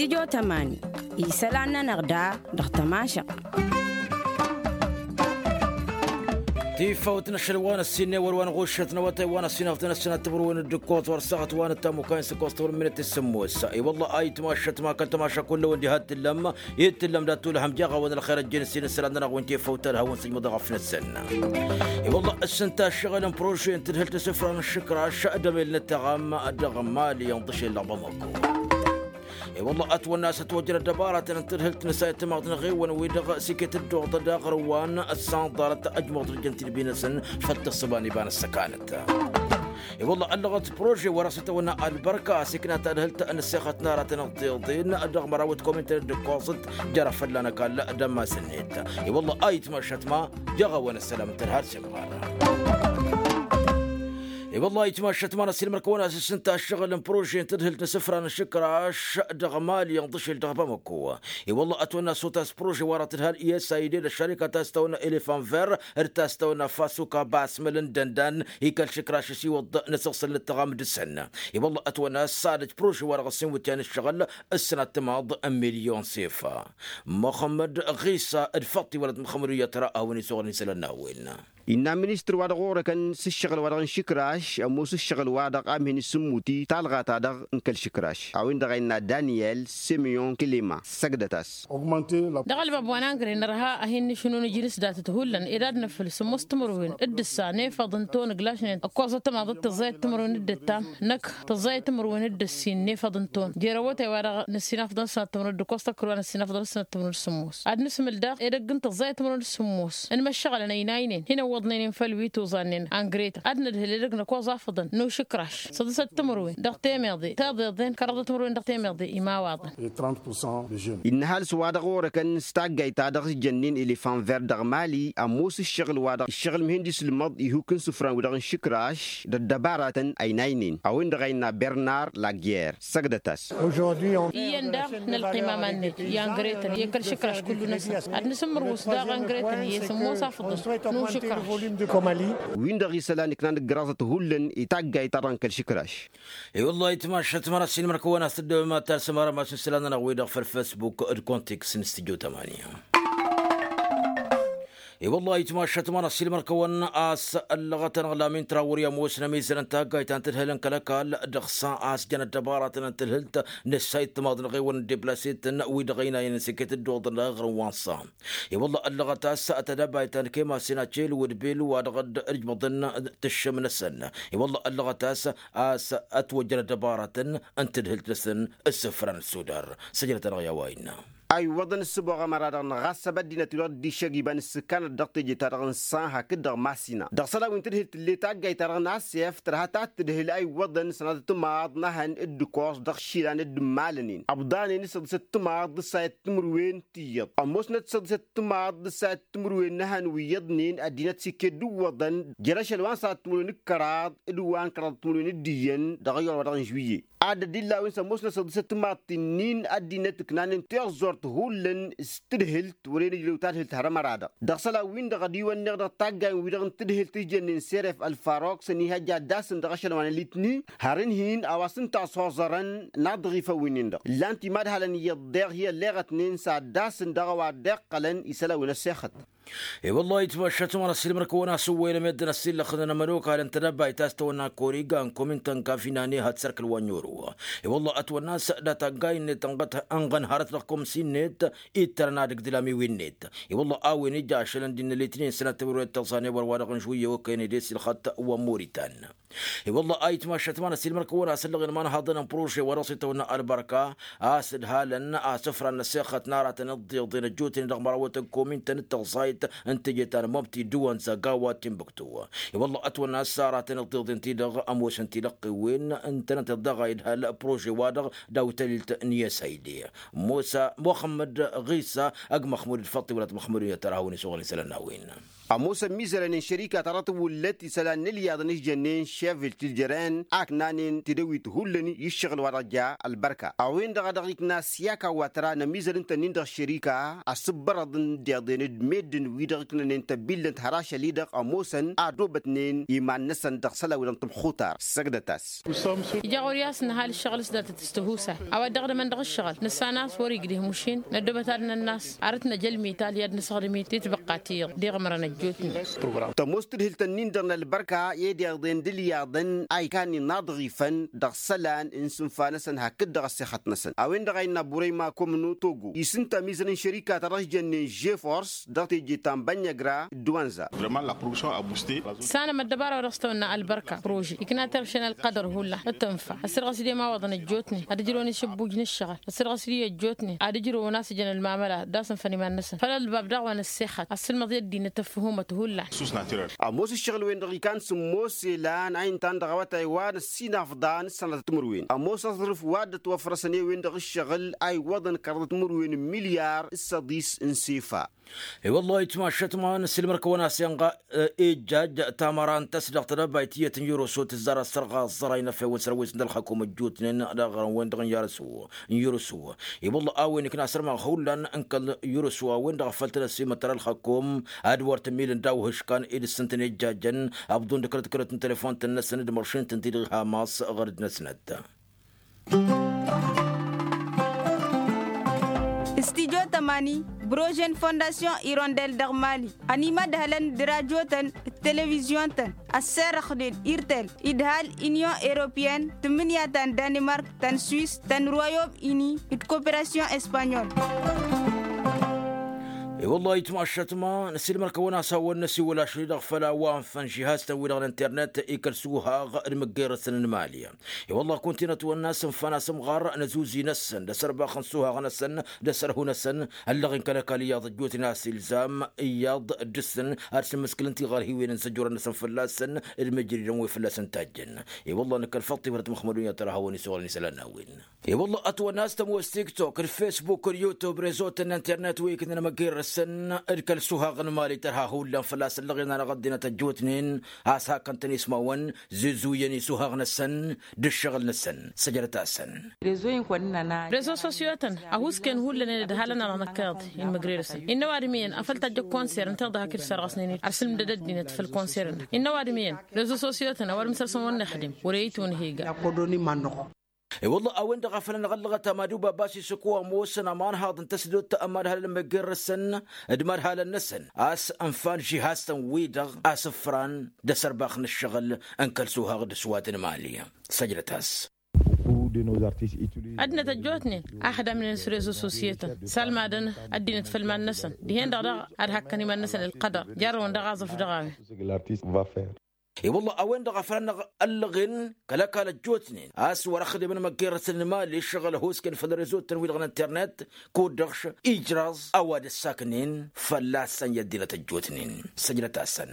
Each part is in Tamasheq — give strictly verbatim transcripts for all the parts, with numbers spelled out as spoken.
Tijo tămani isălan-nănăɣ da dăɣ-tămašăɣ. Tifawt n-ašăl wa n-ăssinnewăr wa n-ɣuššăt n-awătay wa n-ăssinafăt n-ăssinat timǝrwen d-ǝkkoẓ wăr săɣăt wa n-ăttamukay n-sǝkkoẓ timǝrwen minit s-sǝmmos. I-wălla a itmašăt ma kăl-tamaša kull-wen diha t-tǝllăm i-tǝllăm dat-tulhăm jaɣ-awăn ălxer ăjjeen s-inǝssălan-nănăɣ wi n-tifawt alhawăn sǝjmăḍ ɣăf-năsăn. I-wălla ǝssǝnta ăššăɣǝl n-prože n-tǝdhǝlt n-isǝfra n-ašǝkraš d-emel n-ăttăɣam dăɣ-mali ănḍǝšel dăɣ-bamako. I-wălla ătwănna a-s ătwăjjăr ăddăbaratăn n-tǝdhǝlt n-asayăt timaḍt n-eɣewăn-wi-dăɣ s-iket ăddoɣ-tăn dăɣ-ɣărwan ăssanḍarăt ăjmuḍ-t ăjjăn-t-dd binăsăn făll-tǝssǝba n-iba n-ăssăkanăt. I-wălla ăllăɣăt prože wa dăɣ-s itawănna ălbărka a-s ikna tadhǝlt n-ăssexăt n-aratăn ăḍḍeḍen dăɣ-măraw d-komin-tăn dd-ǝkkoẓăt jer-afălla n-ăkall d-ămmas-net. I-wălla a itmašăt ma jăɣ-awăn ăssălam n-tărha d-semɣar. I-wălla a itmašăt ma n-ăssiilmăr-kăwăn a-s ǝssǝnta ăššăɣǝl n-prože n-tǝdhǝlt n-isǝfra n-ašǝkraš dăɣ-mali ănḍǝšel dăɣ-bamako. I-wălla ătwănna s-otas prože wa dăɣ-tǝdhal i-s a ided ăššarika ta s-tawănna elefan ver d-ta s-tawănna fasuka basmăl n-dăndan i-kăl-išǝkraš s-iwǝḍ n-asǝɣsǝl n-ǝttăɣam dăɣ-săn. I-wălla ătwănna s-ad-ăj prože wa dăɣ-s inwǝtyan ǝššăɣǝl ǝssǝnat timaḍ n-milyon sefa. Muxămmăd ɣisa d-făṭṭi wălăt măxămăd iyyăt ra a-wen isuɣǝl n-isălan n-a-wen. Innă ministăr wa dăɣ-orăkăn s-ǝššăɣǝl wa dăɣ-n išǝkraš ămoos ǝššăɣǝl wa dăɣ-amhin isǝmmut-i talɣa-ta-dăɣ n-kăl-išǝkraš a-wen-dăɣ a innă daniyel semyon kilima. Săgdăt-as. Dăɣ-ălbab wa n-angre nărha a hin-nǝšǝnun ijǝnǝs datăt hullan ed ad-năfhǝl sǝmmos timǝrwen d-ǝssa n-efăḍ n-ton ǝglašnen ǝkkoẓăt timaḍ d-tǝẓẓayăt timǝrwen d-ǝttam năkk tǝẓẓayăt timǝrwen d-ǝssin n-efăḍ n-ton jer-awătay wa dăɣ-nǝssinafḍăn s-sănăt timǝrwen d-ǝkkoẓ tăkkăl wa nǝssinafḍăn s-sănăt timǝrwen d-sǝmmos ad-nǝsmǝl daɣ edăgg n-tǝẓẓayăt timǝrwen d-sǝmmos n-imăššăɣălăn ăynaynen hin-ăwwăḍnen-in făll-wi tuẓannen angre-tăn ad-nǝdhǝl edăgg n-ăkkoẓ afǝḍăn n-ušǝkraš săḍǝsăt timǝrwen dăɣ-temeḍe teḍeḍen kăraḍăt timǝrwen dăɣ-temeḍe imawaḍăn. Innă ăhalǝs wa dăɣ-orăkăn s-taggayt ta dăɣ-s jănnen elefan ver dăɣ-mali ămoos ǝššăɣǝl wa dăɣ-ǝššăɣǝl mihăn d-isǝlmăḍ ihuk n-isǝfran wi-dăɣ n-išǝkraš d-ăddăbaratăn ăynaynen a-wen-dăɣ a innă bernar lagger. Săgdăt-as. Iyyăn daɣ nălqim aman-net i-angre-tăn i-kăl-išǝkraš kullu-năsăn ad-nǝsǝmmărwǝs daɣ angre-tăn i-sǝmmos afǝḍăn n-ušǝkraš. Wi-dăɣ isălan iknan ǝggăraẓăt hullan i-taggayt ta dăɣ-n kăl-išǝkraš. I-wăllah itmašăt măra s-inmăr-kăwăn a-s tǝddǝmăt ta s-ămăra masǝn isălan-nănăɣ wi-dăɣ făll-facebook d-kontiks n-studio tamanya. I-wăllah itmašăt măra s-inmăr-kăwăn a-s ăllăɣăt-anăɣ lamin trawăr i-ămoosnăm izărăn taggayt ta n-tǝdhǝl n-kăl-ăkall dăɣ-sa a-s jăn ăddăbaratăn n-tǝdhǝlt nǝssayt timaḍ n-eɣewăn n-deplasetăn wi-dăɣ ăynayăn s-iket dd-oḍăn dăɣ-eɣrǝm wa n-sa. I-wălla ăllăɣăt a-s tadăbayt ta n-kema sena cel wădbel wa dăɣ-dd-ǝjmăḍăn tǝššǝm-năsăn. I-wălla ăllăɣăt a-s a-s ătwăjjăn ăddăbaratăn n-tǝdhǝlt-năsăn ǝssǝfran ăssudar. Săjdăt-anăɣ i-a-wa innă. A iwwăḍăn ǝssǝboɣăm ara-dăɣ năɣ a-s ăbăddinăt wi-dăɣ dd-iššăgg iba n-ǝssǝkkanăt dăɣ-teje-ta-dăɣ n-san hakd-dăɣ masina dăɣ-isălan wi n-tǝdhǝlt tǝlle taggayt-ta-dăɣ n-asef tărha ta t-tǝdhǝl a iwwăḍăn sănatăt timaḍ n-ehăn d-ǝkoẓ dăɣ-išilan dd-ǝmmalănen ăbḍanen s-săḍisăt timaḍ d-ǝssayăt timǝrwen tiyyăḍ ămoosnăt s-săḍisăt timaḍ d-ǝssayăt timǝrwen n-ehăn wi iyyăḍnen ăddinăt s-iket d-ǝwwăḍăn jer-ašăl wa n-sănatăt timǝrwen d-kăraḍ d-wa n-kăraḍăt timǝrwen d-iyyăn dăɣ-iyyăr wa dăɣ-n žuiye. Ad-dd-illa a-wen s-ămoosnăt s-săḍisăt timaḍt-nin ăddinăt ǝknanen tiẓẓurt hullan s-tǝdhǝlt wăren ǝjrăw tadhǝlt har ămăra-dăɣ dăɣ-isălan-win-dăɣ ad-iwănneɣ dăɣ-taggayen-wi-dăɣ n-tǝdhǝlt ǝjjănnen seref ălfarok s-ănihăjja ad-dd-asǝn dăɣ-ašăl wa n-ălitni har ǝnhǝyăn a-wa s-ǝnta a-s hoẓărăn n-aḍɣifăn wi-nin-dăɣ ǝllan timadhalăn iyyăḍ deɣ hi-ălleɣătnen s-ad-dd-asǝn dăɣ-a-wa dd-iqqălăn isălan wi n-ăssexăt. I-wăllah itmašăt măra s-ilmăr-kăwăn-asǝwwăyăn meddǝn ăssillăxnăn ămănokal n-tedăbayt ta s-tawănna koriga n-komin tănkafinane had sărkăl wa n-oro. I-wăllah ătwănna a-s data n-gaynet ănɣăt ănɣăn hărăt dăɣ-komsin-net ittărăn ad-ǝgdǝl amiwen-net. I-wăllah a-wen ija ašăl n-dd-innă litnin sănăt timǝrwen d-tăẓẓane wăr-wa-dăɣ n-žuyye okăyăn ed esilxăt wa n-moritan. I-wălla a itmašăt ma n-ăsilmăr-kăwăn-asǝllăɣen ma n-haḍăn n-prože wa dăɣ-s itawănna ălbărka a-s ǝdhalăn asǝfra n-ăssexăt n-aratăn ăḍḍeḍen ăjjootnen dăɣ-mărawăt n-komin-tăn d-tăẓẓayt n-teje ta n-mobti d-wănza gawa timbuktu. I-wălla ătwănna a-s aratăn ăḍḍeḍen-ti-dăɣ ămoosăn tilăqqewen ǝntănăteḍ daɣ a idhal prože-wa-dăɣ daw-tălilt n-iyyăsayde musa muxămmăd ɣisa ăgg măxmud d-făṭṭi wăla t-măxmud n-iyyăt tărahăwăn isuɣăl isălan n-a-wen. Ămoosăn mizărăn n-šărika ta dăɣ-tawǝllăt isălan n-ǝlyaḍăn ǝžjănnen. Kevil ti-ǝjren aknanen tidăwit hullan i-ǝššăɣǝl wa dăɣ-ja ălbărka a-wen-dăɣ a dăɣ-ikna s-i-aka wa tăra n-ămizăl ǝntănnin dăɣ-ăššărika. Asǝbbărăḍăn deḍen d-meddǝn wi-dăɣ iknănen tăbbillănt har ašăl-i-dăɣ ămoosăn a dobătnen iman-năsăn dăɣ-isălan wi-dăɣ n-tămxutar săgdăt-as. Ija ɣur-i a-s nǝhal ǝššăɣǝl s-datăt s-tihusay a-wa dd-dăɣ-dămăn dăɣ-ǝššăɣǝl nǝssan a-s wăr-igdǝh mušin n-ăddobăt ad-nănn'-as arăt n-ajăl mital i-ad-nǝsăɣdǝm-i titbăqqa ti-dăɣ d-iɣmărăn ăjjootnen. Tămoos tǝdhǝlt-ǝnnin-dăɣ n-ălbărka i-dd-iḍen d-ǝlyaḍăn a ikan inaḍɣifăn dăɣ-isălan n-isǝnfa-năsăn hakd-dăɣ ăssexăt-năsăn a-wen-dăɣ a innă burăyma komnu togo isǝnta mizărăn šărika ta dăɣ-s jănnen žefors dăɣ-teje ta n-bănnăgra d-wănza. Tǝssanăm ăddăbara wa dăɣ-s tăwănna ălbărka prože ikna terše n-ălqădăr hullan d-tǝnfa ăssirɣăs-dd i-imawăḍăn ăjjootnen ad-ǝjrăwăn išǝbbuj n-ǝššăɣǝl ăssirɣăs-dd i-ăjjootnen ad-ǝjrăwăn a-s ǝjăn ălmamăla d-asǝnfăn iman-năsăn făll-ălbab daɣ wa n-ăssexăt ăssǝlmăḍ i-ăddinăt ăffǝhumăt hullan. Ămoos ǝššăɣǝl-wen-dăɣ ikan sǝmmos elan a intan dăɣ-awătay wa n-ăssinafḍa n-ǝssanăt timǝrwen ămoos aẓrǝf wa dd-ătwăfrăsăn i-wen-dăɣ ǝššăɣǝl a iwwăḍăn kăraḍăt timǝrwen n-milyar s-ăḍis n-sefa. I-wăllah itmašăt ma n-ăssiilmăr-kăwăn-as inɣa ijjaj tamăra n-tăsdăɣt d-abayt iyyăt n-yurǝsu tǝzzar ăssărɣa ăẓẓăray n-efew n-sărwes n-ălxakum ăjjootnen. Dăɣ-wen-dăɣ n-yarǝsu n-yurǝsu i-wălla a-wen ikna asărmaɣ hullan n-kăl-yurǝsu a-wen-dăɣ a făl tăn-ăsimătăr ălxăkkum ad-wăr tǝmmilăn daw-ihǝškan i-dăɣ-săn tăn-ijjajăn. Ăbḍun d-kărăt-kărăt n-telefon-tăn-năsăn d-măršin-tăn-ti-dăɣ hamas ɣăr-dd-năsnăt. Studyo tămani brožen fondasyon irondel dăɣ-mali ănimădhălăn d-rajotăn d-televizyon-tăn ăsserăxnen irtel idhal inyon europeyăn tǝmmǝnǝya ta n-danimark ta n-swis ta n-royom ini d-koperasyon espanyol. I-wăllah itmašăt ma n-asilmăr-kăwăn-asawăn n-asiwăl ašăl-i-dăɣ făll-a-wa ǝnfăn žihaz-tăn-wi-dăɣ n-internet ikăl suhaɣ d-măggerăsăn n-mali. I-wăllah kuntinăt wănna s-ǝnfan asǝmɣar n-azuzi-năsăn d-asărbax n-suhaɣ-năsăn d-asărhu-năsăn ăllăɣen kăl-ăkall iyyăḍ ăjjootnen a-s ilzam iyyăḍ dăr-săn ad-sǝmmǝskǝlăn tiɣărhiwen n-săjjurăn-năsăn fălla-săn d-măjridăn wi fălla-săn tajjăn. I-wăllah nǝkkăl făṭṭifăt măxmădun i-ad-tărhawăn isăwălăn isălan n-a-wen. I-wăllah ătwănna a-s tămoos tiktok d-fesbuk d-yutub rezo-tăn n-internet wi iknăn amăggerăsăn d-kăl-suhaɣ n-mali tărha hullan fălla-s ăllăɣen-anăɣ ăddinăt ăjjootnen a-s hakăn-tăn ismawăn zuzuyăn isuhaɣ-năsăn d-ǝššăɣǝl-năsăn. Săjdăt-asăn. Rezo sosyo-tăn ăhuusken hullan i-dd-halăn-anăɣ năkk iyyăḍ inmǝgrerăsăn innă ăwadǝm iyyăn afăl tajjăk konser ǝnta iḍa hak-dd-sărɣăsnen-dd arsǝlmdăd ăddinăt făll-konser-năk innă ăwadǝm iyyăn rezo sosyo-tăn ăwadǝm săr-săn wăr nǝxdǝm wăr-e itwǝnhǝy ga. Ăwadǝm iyyăn rezo sosyo-tăn ăwadǝm săr-săn wăr nǝxdǝm wăr-e itwǝnhǝy ga. I-wălla a-wen-dăɣ a făl anăɣ-ăllăɣăt amadu babas isǝkwa ămoosăn amanhaḍ n-tăsdot ămadhalăn măggerrăsăn d-imadhalăn-năsăn a-s ǝnfan žihaz-tăn-wi-dăɣ a-s ǝfran d-asărbax n-ǝššăɣǝl n-kăl-suhaɣ d-aswat n-mali. Săjdăt-as. Ăddinăt ăjjootnen a xdamnen s-rezo sosyo-tăn salmadăn ăddinăt făll-iman-năsăn dihen-dăɣ daɣ ad-hakkăn iman-năsăn ălqădăr jarrăwăn dăɣ-aẓrǝf dăɣ-a-wen. I-wălla a-wen-dăɣ a făl anăɣ-ăllăɣen kăl-ăkall ăjjootnen a-s wăr-ăxdǝmăn măggerăsăn n-imali ǝššăɣǝl ăhoosken făll-rezo-tăn-wi-dăɣ n-internet kud-dăɣ š-ijraẓ a-wa dd-ăssaknen fălla-săn i-ăddinăt ăjjootnen. Săjdăt-asăn.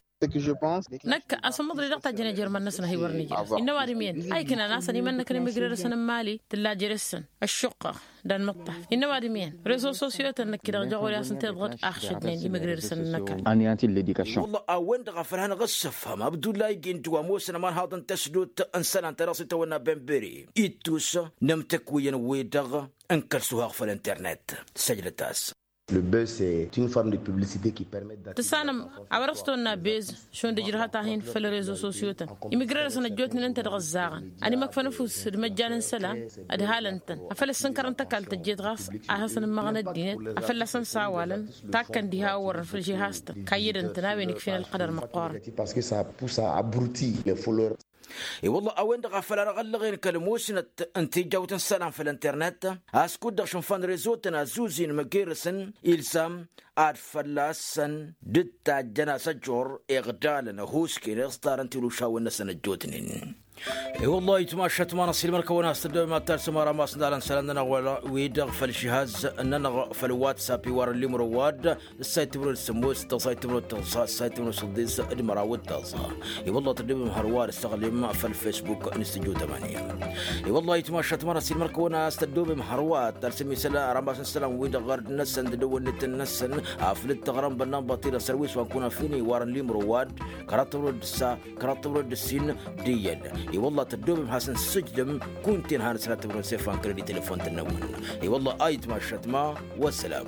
Năkk asǝmmăḍri dăɣ-tajjăn ejăr-măn-năsăn a hi-wăr nǝjrăs innă ăwadǝm iyyăn a iknan a-s ănimănnăkăn imǝgrerăsăn n-imali tǝlla jer-săn ăššuqqăɣ d-anmǝṭṭaf. Innă ăwadǝm iyyăn rezo sosyo-tăn năkk-i-dăɣ jăɣ-wăr-i a-s ǝnta iḍɣăd axšădnen imǝgrerăsăn n-năkall. Wălla a-wen-dăɣ a făl hanăɣ-ăssăfhăm abdullahi gindu ămoosăn ămanhaḍ n-tăsdut n-isălan ta dăɣ-s itawănna benberi ittus n-imtǝkwiyyăn-wi-dăɣ n-kăl-suhaɣ făll-internet. Săjdăt-as. Tǝssanăm a-wa dăɣ-s tăwănna bez šund ǝjrăhăt-ahin făll-rezo sosyo-tăn imǝgrerăsăn ăjjootnen ǝnta dăɣ-ăzzaɣăn ad-imăkfăn ăfuss d-imăjjan n-isălan ădhalăn-tăn afăl ăssǝnkărăn tăkalt ăjjeet ɣas a hasăn-ǝmmăɣăn ăddinăt a fălla-săn s-awalăn takkăn diha a ǝwwărăn făll-žihaz-tăn kayyădăn-tăn a-wen ikfen ălqădăr măqqoorăn. I-wălla a-wen-dăɣ a făl anăɣ-ăllăɣen kăl-musnăt n-tijawt n-isălan făll-internet a-s kud-dăɣ šǝnfan rezo-tăn ăzzuzin măggerăsăn ilzam ad-fălla-săn dd-tajjăn asăjor iɣdalăn ăhuusken iẓḍarăn tilušawen-năsăn ăjjootnen. I-wăllah ayǝtmašat ma n-asilmăr kăwăn-as tăddobem ad-talsăm ara masnalăn sălan-nănăɣ wăla wi-dăɣ făll-žihaz-nănăɣ făll-whatsapp iwarăn limro wa-dd. Ǝssay timrăw d-sămmos tăẓẓay timrăw d-tăẓẓa ǝssay timrăw d-săḍḍis d-măraw d-tăẓẓa. I-wăllah tăddobem hărwa d-ǝssăɣlem făll-facebook n-s tăjju tămani. I-wăllah ayǝtmašat ma n-asilmăr kăwăn-as tăddobem hărwa ad-talsăm isălan ara masnalăn wi-dăɣ ɣărd-năsăn d-dăwănnet-năsăn aflǝt tăɣrăm bănnan băṭṭilăɣ sărwis wa n-kunafini iwarăn limro wa-dd. Kăraḍ timrăw d-ǝssa kăraḍ timrăw d-ǝssin d-iyyăn. I-wălla tăddobem has-ǝnsǝjdăm kunta-en hanăt-sănat timrăw n-sefan kăl-dd-i telefon-tăn-năwăn. I-wălla ayǝtmašat ma wăssălam.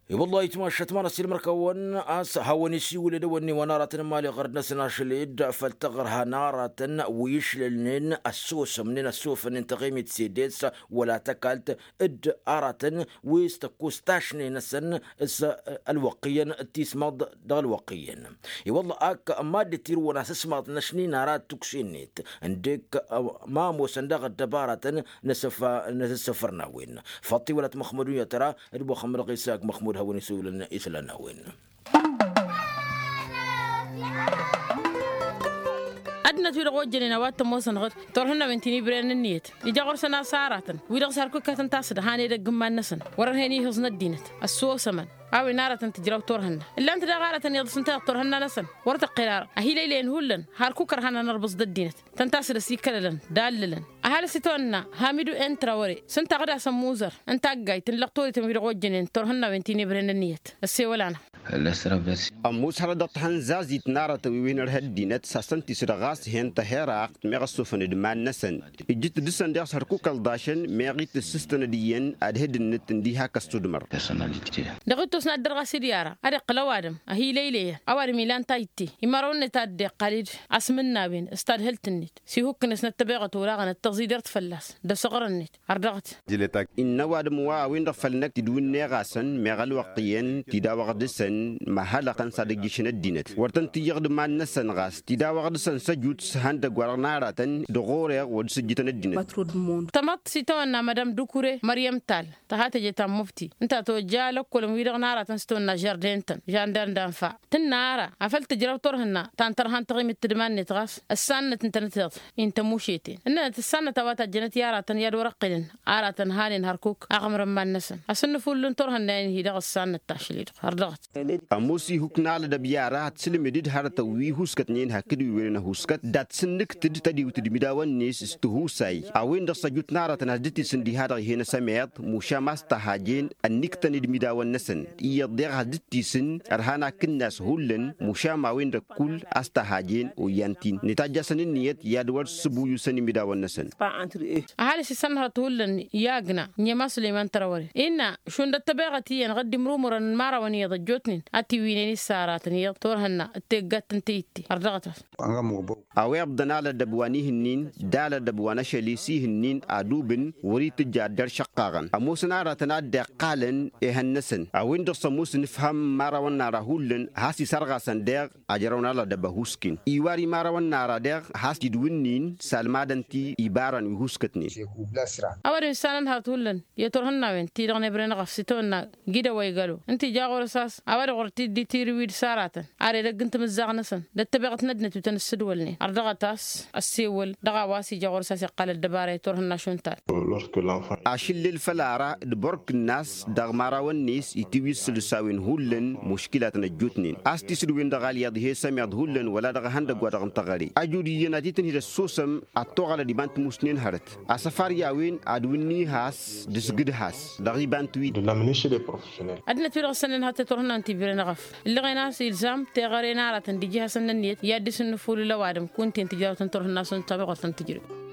I-wălla ayǝtmašat ma n-asilmăr-kăwăn a-s hawăn-isiwǝl edăwănni wa n-aratăn n-imali ɣărd-năsăn ašăl-dd făll-taɣărha n-aratăn wi ǝšlălnen ăssosămnen ăssofănnen taɣimit s-edes wăla tăkalt. D-aratăn wi s-tăkkost tašne-năsăn s-ălwăqq iyyăn d-tismăḍ dăɣ-ălwăqq iyyăn. I-wălla ak mad-dd-tirǝwăn asǝsmaḍ n-ašni n-ara d-tukse-net ǝndek ma ămoosăn daɣ ăddăbaratăn n-asǝssăfăr n-a-wen. Faṭṭi wăla t-măxmud unyăt ara d-muxămmăd ɣisa ak măxmud hawăn-isǝwǝlăn isălan n-a-wen. Ăddinăt wi-dăɣ ojjănen a-wa t-ămoosăn ɣǝd turhǝnnawen ti n-ibrerăn ǝnniyăt ija ɣur-săn a-s aratăn wi-dăɣ s-hărkukătăn tasǝd han edăgg n-iman-năsăn wăr-ărhen ihǝẓ n-ăddinăt. Ăssosămăn a-wen aratăn tǝjraw turhǝnna ǝllan-t daɣ aratăn iyyăḍ s-ǝnta iyyăḍ turhǝnna-năsăn wăr tăqqel ara ăhilăylăyăn hullan hărkuk ărhan anărbǝẓ d-ăddinăt. Tăn-tasǝd ăsikălălăn d-allălăn ăhalǝs itawănna hamidu n-trawăre s-ǝnta ɣǝd-asăn muzăr n-taggayt n-lăqtorităn wi-dăɣ ojjănen turhǝnnawen ti n-ebrerăn ǝnniyăt. Ăssewăl-anăɣ. Ămoos hărăt dăɣ-tahănzazit n-aratăn wi-wen ărha ăddinăt s-hasăn-tisǝd ɣas hen tăherăɣt meɣ ăssofăn d-iman-năsăn ǝjjǝt dăɣ-săn daɣ s-hărkuk ălḍašăn meɣ itǝssǝstăn ad-iyyăn ad-hǝdǝnnǝt ǝndiha kăs-tudmăr. Dăɣ-ittus n-ad-dăr ɣas idyara ad-iqqǝl ăwadǝm ăhilăylăyăn ăwadǝm ilan tajǝtte imărăwăn-net ad-dd-iqqal-dd asmǝnnawen s-tadhǝlt-net s-ihukkǝn-net n-ăttăbeɣăt olaɣăn ăttăẓidert fălla-s d-asăɣrăn-net. Ărdăɣăt. Innă ăwadǝm wa a-wen-dăɣ făll-năkk tidǝwǝnneɣ-asăn meɣ ălwăqq iyyăn tidawăɣ dăɣ-săn măhălăɣ-tăn s-ad-ǝjjǝšăn ăddinăt wăr tăn-tǝyyăɣ d-iman-năsăn ɣas tidawăɣ dăɣ-săn s-ăjut s-ihăndăgg wa dăɣ-năratăn dăɣ-ɣur-eɣ wăr dăɣ-s ǝjjǝtăn ăddinăt. Tamăḍt s-itawănna madam dukure măryăm tal tăha teje ta n-mufti ǝnta tojja lăkkolăn-wi-dăɣ n-aratăn s-tawănna žardin-tăn žandar d-anfa tǝnna ara afăl tǝjraw turhǝnna ta n-tărha n-taɣimit tǝdma-net ɣas ăssannăt ǝntănăt iḍ intămušeten ǝnnănăt ăssannăt a-wa tajjănăt i-aratăn i-ad-wăr-ăqqǝlăn aratăn hanen hărkuk aɣmăr n-iman-năsăn asǝnnǝfull n-turhǝnna-en-hi-dăɣ ăssannăt tašli-dăɣ har dăɣ-t. Ămoos ihuk n-alădăb i-ara ad-t-sǝlmǝdǝd hărătăn wi huskătnen hakd wi wărăn ăhuskăt dat-sǝnnǝktǝd tădiwt d-imidawăn-net s-tihusay a-wen-dăɣ s-ăjut n-aratăn has-dd-tisǝn diha-dăɣ ih'-en ăsămeḍ mušam a-s tăhhajen ănniktăn d-imidawăn-năsăn iyyăḍ deɣ has-dd-tisǝn ărhan akǝnnas hullan mušam a-wen-dăɣ kull a-s tăhhajen oyyan-t-in netajj'-asăn ǝnniyăt i-ad-wăr-sǝbuyusăn imidawăn-năsăn. Ăhalǝs isănhăḍ hullan i-agna n-ema sulăyman tărawăre innă šund ăttăbeɣăt iyyăn ɣǝddim rumurăn n-imărawăn iyyăḍ ăjjootnen ad-t-iwwinen issaratăn iyyăḍ turhǝnna d-teggadt n-tayǝtte. Ărdăɣăt-as. A-wa iḍḍăn alădăb wa n-ihǝnnin d-alădăb wa n-ašăl i-s ihǝnnin adubǝn wăr-itǝjj ad-dd-ăršăqqaɣăn ămoosăn aratăn a dd-iqqalăn ehăn-năsăn a-wen-dăɣ s-ămoos nǝfham n-imărawăn n-ara hullan has-isărɣasăn deɣ ajrăwăn alădăb ăhuusken iwar imărawăn n-ara deɣ has-idwǝnnin salmadăn-t ibarăn wi huskătnen. Ăwadǝm issanăn hărăt hullan i-turhǝnnawen ti-dăɣ n-ebre n-eɣăf s-itawănna gidăwăy gălo ǝnta ija ɣur-s a-s a-wa-dăɣ wăr t-dd-itirǝwid s-aratăn ar edăgg n-timǝzzaɣ-năsăn d-ăttăbeɣăt n-ăddinăt wi tăn-ǝssǝdwălnen ărdăɣăt a-s ăssewăl dăɣ-a-wa s-ija ɣur-s a-s iqqal ăddăbara i-turhǝnna šund tal. Ašǝllel făll-ara d-bork-nas dăɣ-imărawăn-net itiwǝy s-săl-s a-wen hullan muškilatăn ăjjootnen a-s tisǝdwen dăɣ-alyaḍ ih'-e sămeḍ hullan wăla dăɣ-ehăndăgg wa dăɣ-n tăɣăre ajud iyyăn ad-t-tǝnhǝd ăssosăm ad-toɣălăd iba n-timusnen hărăt asăfar i-a-wen ad-wǝnni has-dăɣ-s gǝd has dăɣ-iba n-tiwǝy. Ăddinăt wi-dăɣ ǝssănnen hărăt i-turhǝnna n-tibire n-eɣăf ǝllăɣen a-s ilzam teɣăre n-aratăn d-iji hasăn-nănniyăt i-ad-dd-isǝnnǝfulǝl ăwadǝm kunta-en tǝjraw-tăn turhǝnna šund tamăɣurt n-tǝjrǝw.